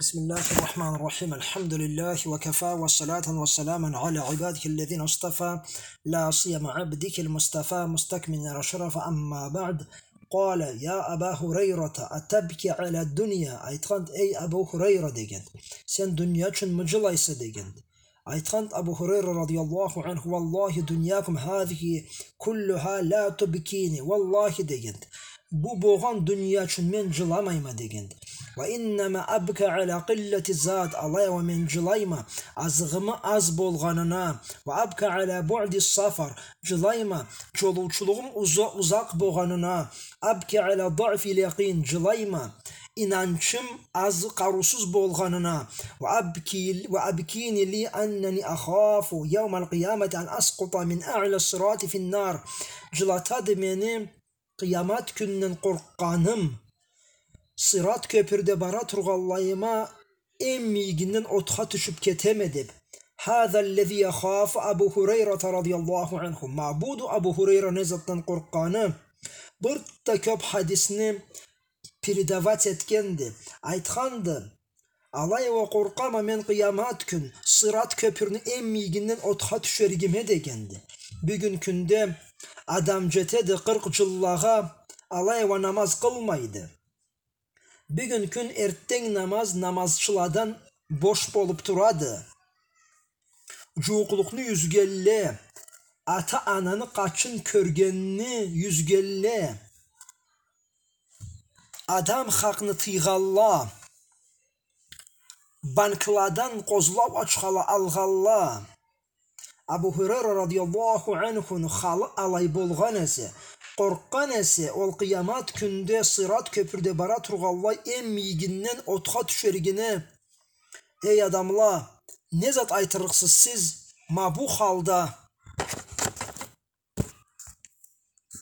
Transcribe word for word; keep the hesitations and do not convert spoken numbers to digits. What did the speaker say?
بسم الله الرحمن الرحيم. الحمد لله وكفى، وصلاة وسلاما على عباده الذين اصطفى، لا سيما عبدك المصطفى مستكمل الشرف. أما بعد، قال: يا أبا هريرة، أتبكي على الدنيا؟ Айтханды: эй Абу Хурайра, дегенди, сен дуния ючюнмю джылайса, дегенди. Айтханды Абу Хурайра радияллаху анху: والله دنياكم هذه كلها لا تبكيني. Уаллахи, дегенди, бу болгъан дуния ючюн мен джыламайма, дегенди. وإنما أبكي على قلة الزاد. Алай а уа мен джылайма азыгъымы аз болгъанына. وأبكي على بعد السفر. Джылайма джолоучулугъум уза-, узакъ болгъанына. أبكي على ضعف اليقين. Джылайма инанчым аз, къарыусуз болгъанына. وأبكي، وأبكيني لأني أخاف يوم القيامة أن أسقط من أعلى الصراط في النار. Джылатады мени къыямат кюнден къоркъгъаным, Сырат кёпюрде бара тургъанлайыма эм мийигинден отха тюшюп кетеме деп. هذا الذي يخاف أبو هريرة رضي الله عنه. Ма буду Абу Хурайра не затдан къоркъгъаны. Бир да кёп хадисни передавать этгенди. Айтханды: алай а уа къоркъама мен къыямат кюн Сырат кёпюрню эм мийигинден отха тюшеригиме, дегенди. Бюгюн кюнде адам джетеди къыркъ джыллагъа, алай а уа намаз къылмайды. Бюгюн кюн эртденг намаз намазчыладан бош болуп турады. Джууукълукъну юзгенле, ата-ананы къачын кёргенни юзгенле, адам хакъны тыйгъанла, банкладан къозлау ачхала алгъанла, Абу Хурайра радияллаху анхуну халы алай болгъан эсе, къоркъгъан эсе, ол къыямат кюнде Сырат кёпюрде бара тургъанлай эм мийигинден отха тюшеригине. Эй адамла, не зат айтырыкъсыз сиз ма бу халда?